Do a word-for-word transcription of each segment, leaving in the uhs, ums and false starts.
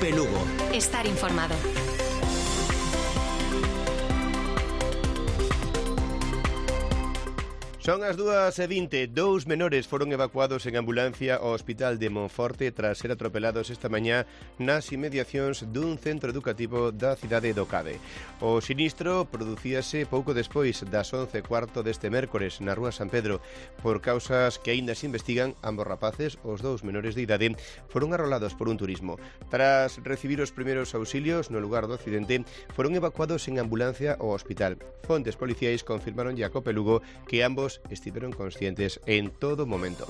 COPE Lugo. Estar informado. Son as dúas e vinte. Dous menores foron evacuados en ambulancia ao Hospital de Monforte tras ser atropelados esta mañá nas inmediacións dun centro educativo da cidade do Cade. O sinistro producíase pouco despois das once e cuarto deste mércores na rúa San Pedro. Por causas que aínda se investigan, ambos rapaces, os dous menores de idade, foron arrolados por un turismo. Tras recibir os primeiros auxilios no lugar do accidente, foron evacuados en ambulancia ao hospital. Fontes policiais confirmaron a COPE Lugo que ambos estiveron conscientes en todo momento.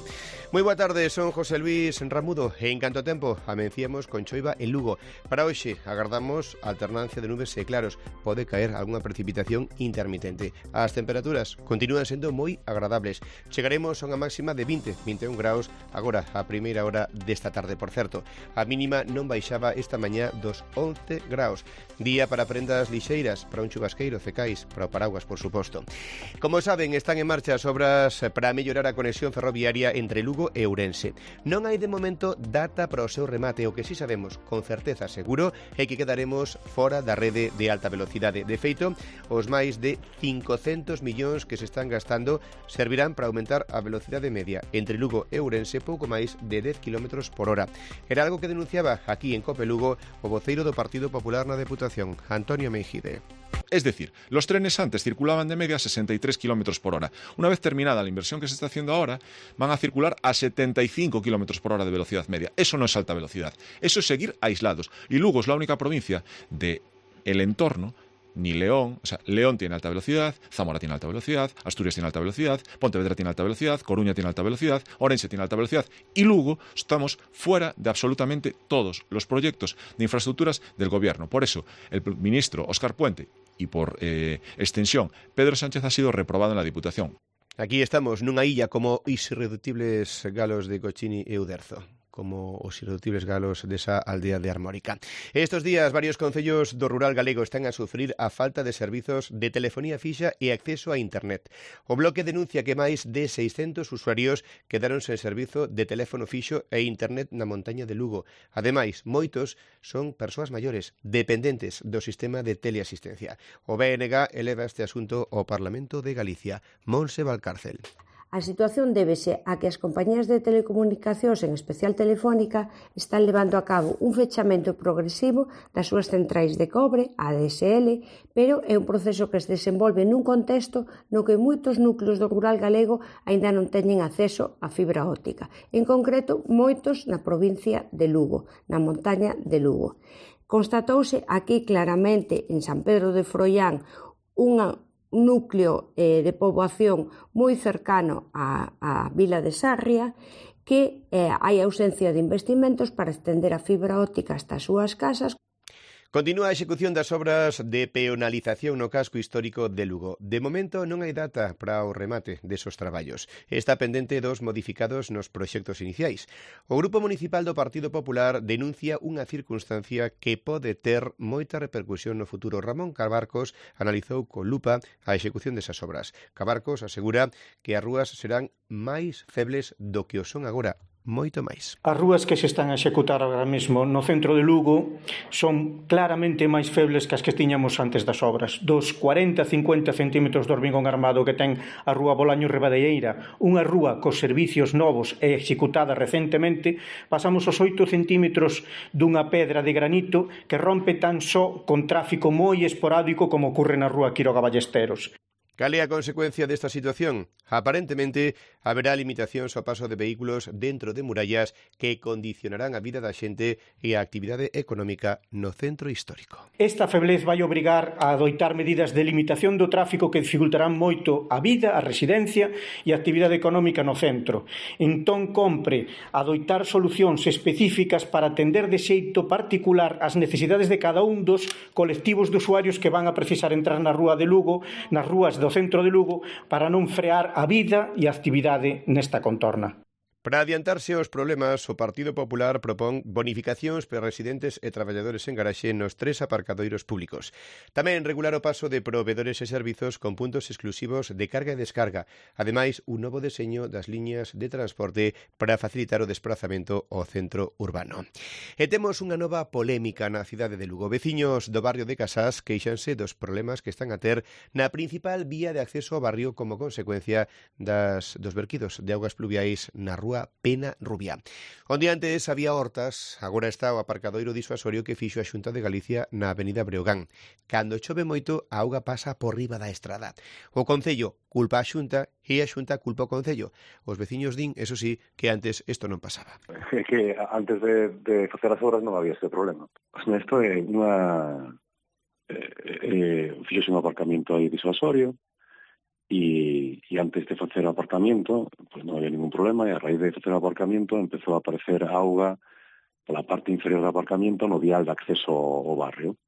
Moi boa tarde, son José Luis Ramudo e en canto a tempo amencíamos con choiva en Lugo. Para hoxe agardamos alternancia de nubes e claros, pode caer algunha precipitación intermitente. As temperaturas continúan sendo moi agradables. Chegaremos a unha máxima de vinte, vinte e un graus agora a primeira hora desta tarde, por certo. A mínima non baixaba esta mañá dos once graus. Día para prendas lixeiras, para un chubasqueiro, cecais, para o paraguas, por suposto. Como saben, están en marcha as obras para mellorar a conexión ferroviaria entre Lugo e Ourense. Non hai de momento data para o seu remate, o que si sabemos con certeza seguro é que quedaremos fora da rede de alta velocidade. De feito, os máis de cincocentos millóns que se están gastando servirán para aumentar a velocidade media entre Lugo e Ourense pouco máis de dez kilómetros por hora. Era algo que denunciaba aquí en COPE Lugo o voceiro do Partido Popular na Deputación, Antonio Meijide. Es decir, los trenes antes circulaban de media a sesenta y tres kilómetros por hora. Una vez terminada la inversión que se está haciendo ahora, van a circular a setenta y cinco kilómetros por hora de velocidad media. Eso no es alta velocidad. Eso es seguir aislados. Y Lugo es la única provincia del entorno, ni León, o sea, León tiene alta velocidad, Zamora tiene alta velocidad, Asturias tiene alta velocidad, Pontevedra tiene alta velocidad, Coruña tiene alta velocidad, Orense tiene alta velocidad y Lugo estamos fuera de absolutamente todos los proyectos de infraestructuras del gobierno. Por eso, el ministro Óscar Puente y por eh, extensión, Pedro Sánchez ha sido reprobado en la Diputación. Aquí estamos nunha illa como os irreductibles galos de Cochini e Uderzo, como os irreductibles galos desa aldea de Armórica. Estos días, varios concellos do rural galego están a sufrir a falta de servizos de telefonía fixa e acceso a internet. O Bloque denuncia que máis de seiscentos usuarios quedaron sen servizo de teléfono fixo e internet na montaña de Lugo. Ademais, moitos son persoas maiores, dependentes do sistema de teleasistencia. O B N G eleva este asunto ao Parlamento de Galicia. Monse Valcárcel. A situación débese a que as compañías de telecomunicacións, en especial Telefónica, están levando a cabo un fechamento progresivo das súas centrais de cobre, a D S L, pero é un proceso que se desenvolve nun contexto no que moitos núcleos do rural galego aínda non teñen acceso á fibra óptica. En concreto, moitos na provincia de Lugo, na montaña de Lugo. Constatouse aquí claramente en San Pedro de Froián unha núcleo eh, de poboación moi cercano á, á vila de Sarria, que eh, hai ausencia de investimentos para estender a fibra óptica hasta as súas casas. Continúa a execución das obras de peonalización no casco histórico de Lugo. De momento non hai data para o remate desos traballos. Está pendente dos modificados nos proxectos iniciais. O Grupo Municipal do Partido Popular denuncia unha circunstancia que pode ter moita repercusión no futuro. Ramón Cabarcos analizou con lupa a execución desas obras. Cabarcos asegura que as rúas serán máis febles do que o son agora. Moito máis. As rúas que se están a executar agora mesmo no centro de Lugo son claramente máis febles que as que tiñamos antes das obras. Dos cuarenta a cincuenta centímetros de hormigón armado que ten a rúa Bolaño Ribadeieira, unha rúa cos servicios novos e executada recentemente, pasamos aos oito centímetros dunha pedra de granito que rompe tan só con tráfico moi esporádico como ocorre na rúa Quiroga Ballesteros. Cal é a consecuencia desta situación? Aparentemente, haberá limitacións ao paso de vehículos dentro de murallas que condicionarán a vida da xente e a actividade económica no centro histórico. Esta feblez vai obrigar a adoitar medidas de limitación do tráfico que dificultarán moito a vida, a residencia e a actividade económica no centro. Entón, compre adoitar solucións específicas para atender de xeito particular as necesidades de cada un dos colectivos de usuarios que van a precisar entrar na rúa de Lugo, nas rúas do centro de Lugo, para non frear a vida e a actividade nesta contorna. Para adiantarse aos problemas, o Partido Popular propón bonificacións para residentes e traballadores en garaxe nos tres aparcadoiros públicos. Tamén regular o paso de provedores e servizos con puntos exclusivos de carga e descarga. Ademais, un novo deseño das liñas de transporte para facilitar o desplazamento ao centro urbano. E temos unha nova polémica na cidade de Lugo. Veciños do barrio de Casás queixanse dos problemas que están a ter na principal vía de acceso ao barrio como consecuencia das, dos verquidos de augas pluviais na rúa Pena Rubia. Onde antes había hortas, agora está o aparcadoiro disuasorio que fixo a Xunta de Galicia na avenida Breogán. Cando chove moito, a auga pasa por riba da estrada. O Concello culpa a Xunta e a Xunta culpa o Concello. Os veciños din, eso sí, que antes isto non pasaba. É que antes de, de facer as obras non había este problema. Pues, isto é unha... Eh, eh, fixose un aparcamento aí disuasorio, E, e antes de facer o aparcamento pues non había ningún problema, e a raíz de facer o aparcamento empezou a aparecer auga pola parte inferior do aparcamento no vial de acceso ao barrio.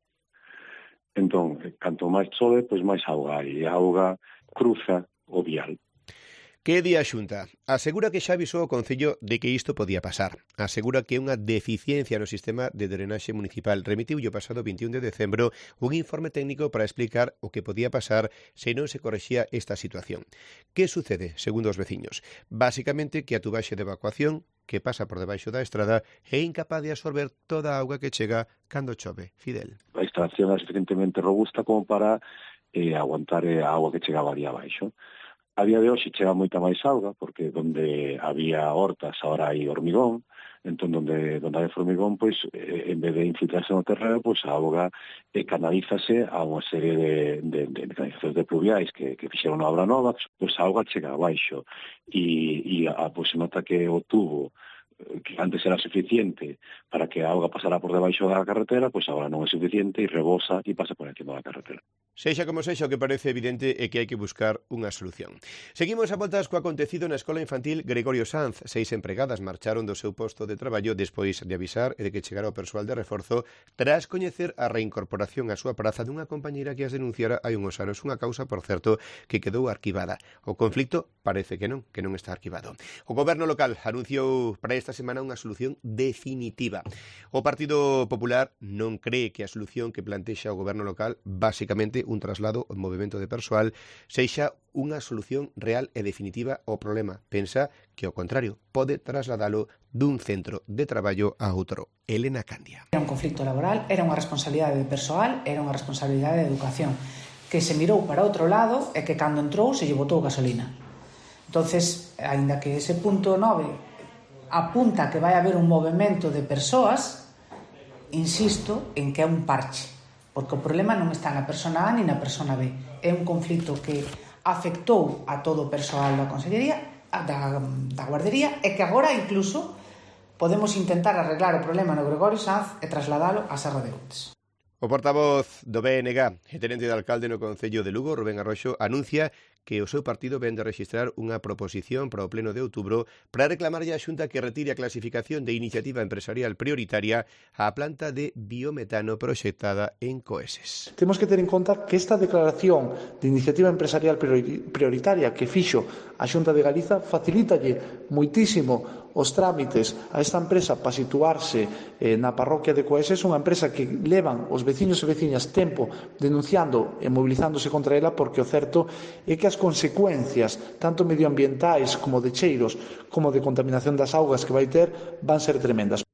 Entón, canto máis chove, pois máis auga hai, e a auga cruza o vial. Que di a Xunta? Asegura que xa avisou o Concello de que isto podía pasar. Asegura que é unha deficiencia no sistema de drenaxe municipal. Remitiu o pasado veintiún de decembro un informe técnico para explicar o que podía pasar se non se correxía esta situación. Que sucede, segundo os veciños? Básicamente que a tubaxe de evacuación que pasa por debaixo da estrada é incapaz de absorber toda a auga que chega cando chove. Fidel. A instalación é suficientemente robusta como para eh, aguantar a auga que chegaba ali abaixo. A día de hoxe chega moita máis auga, porque onde había hortas agora hai hormigón, entón onde, onde hai hormigón, pois, eh, en vez de infiltrarse no terreno, pois a auga eh, canalízase a unha serie de, de, de, de canalizacións de pluviais que, que fixeron a obra nova, pois a auga chega abaixo, e, e a, pois, se nota que o tubo que antes era suficiente para que a auga pasara por debaixo da carretera, pois agora non é suficiente e rebosa e pasa por encima da carretera. Sexa como sexa, o que parece evidente é que hai que buscar unha solución. Seguimos a voltas co acontecido na Escola Infantil Gregorio Sanz. Seis empregadas marcharon do seu posto de traballo despois de avisar e de que chegara o persoal de reforzo tras coñecer a reincorporación á súa praza dunha compañeira que as denunciara hai unhos anos, unha causa, por certo, que quedou arquivada. O conflicto parece que non, que non está arquivado. O goberno local anunciou para esta semana unha solución definitiva. O Partido Popular non cree que a solución que plantexa o goberno local, basicamente un traslado ao movimento de persoal, sexa unha solución real e definitiva ao problema. Pensa que, ao contrario, pode trasladalo dun centro de traballo a outro. Elena Candia. Era un conflicto laboral, era unha responsabilidade de persoal, era unha responsabilidade de educación, que se mirou para outro lado e que cando entrou se lle botou gasolina. Entonces, aínda que ese punto nove apunta que vai haber un movimento de persoas, insisto en que é un parche, porque o problema non está na persona A ni na persona B. É un conflito que afectou a todo o persoal da Consellería, da, da Guardería, e que agora incluso podemos intentar arreglar o problema no Gregorio Sanz e trasladalo a Serra de Outes. O portavoz do B N G e tenente de alcalde no Concello de Lugo, Rubén Arroxo, anuncia que o seu partido ven de registrar unha proposición para o pleno de outubro para reclamarlle á Xunta que retire a clasificación de iniciativa empresarial prioritaria á planta de biometano proxectada en Coeses. Temos que ter en conta que esta declaración de iniciativa empresarial prioritaria que fixo a Xunta de Galiza facilítalle moitísimo os trámites a esta empresa para situarse eh, na parroquia de Coeses, unha empresa que levan os veciños e veciñas tempo denunciando e mobilizándose contra ela, porque o certo é que as consecuencias, tanto medioambientais como de cheiros, como de contaminación das augas que vai ter, van ser tremendas.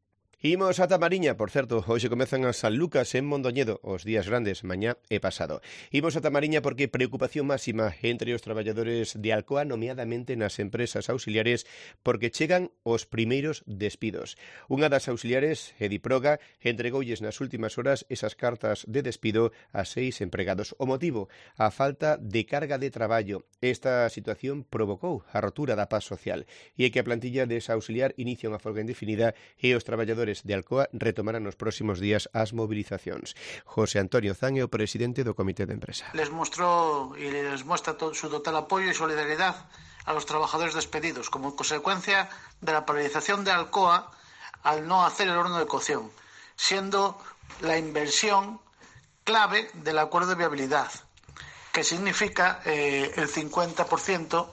Imos ata Mariña, por certo, hoxe comezan as San Lucas en Mondoñedo, os días grandes, mañá e pasado. Imos ata Mariña porque preocupación máxima entre os traballadores de Alcoa, nomeadamente nas empresas auxiliares, porque chegan os primeiros despidos. Unha das auxiliares, Ediproga, entregoulles nas últimas horas esas cartas de despido a seis empregados. O motivo, a falta de carga de traballo. Esta situación provocou a rotura da paz social e é que a plantilla desa auxiliar inicia unha folga indefinida e os traballadores de Alcoa retomarán nos próximos días as movilizacións. José Antonio Zan é o presidente do Comité de Empresa. Les mostró y les muestra todo su total apoyo y solidaridad a los trabajadores despedidos como consecuencia de la paralización de Alcoa al no hacer el horno de cocción, siendo la inversión clave del acuerdo de viabilidad, que significa eh, el cincuenta por ciento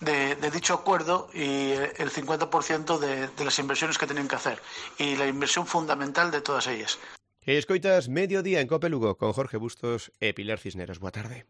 de, de dicho acuerdo y el cincuenta por ciento de, de las inversiones que tienen que hacer y la inversión fundamental de todas ellas. Escoitas Mediodía en Cope Lugo con Jorge Bustos e Pilar Cisneros. Boa tarde.